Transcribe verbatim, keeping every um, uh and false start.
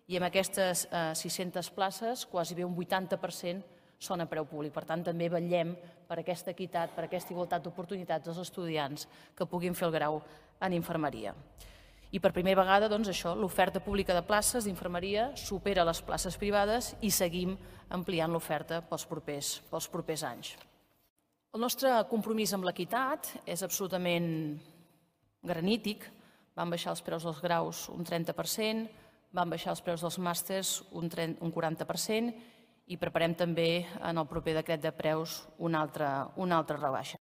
i amb aquestes sis-centes places, quasi bé un vuitanta per cent són a preu públic. Per tant, també vetllem per aquesta equitat, per aquesta igualtat d'oportunitats dels estudiants que puguin fer el grau en infermeria. I per primera vegada, doncs, això, l'oferta pública de places d'infermeria supera les places privades i seguim ampliant l'oferta pels propers, pels propers anys. El nostre compromís amb l'equitat és absolutament granític. Van baixar els preus dels graus un trenta per cent, van baixar els preus dels màsters un quaranta per cent i preparem també en el proper decret de preus una altra, una altra rebaixa.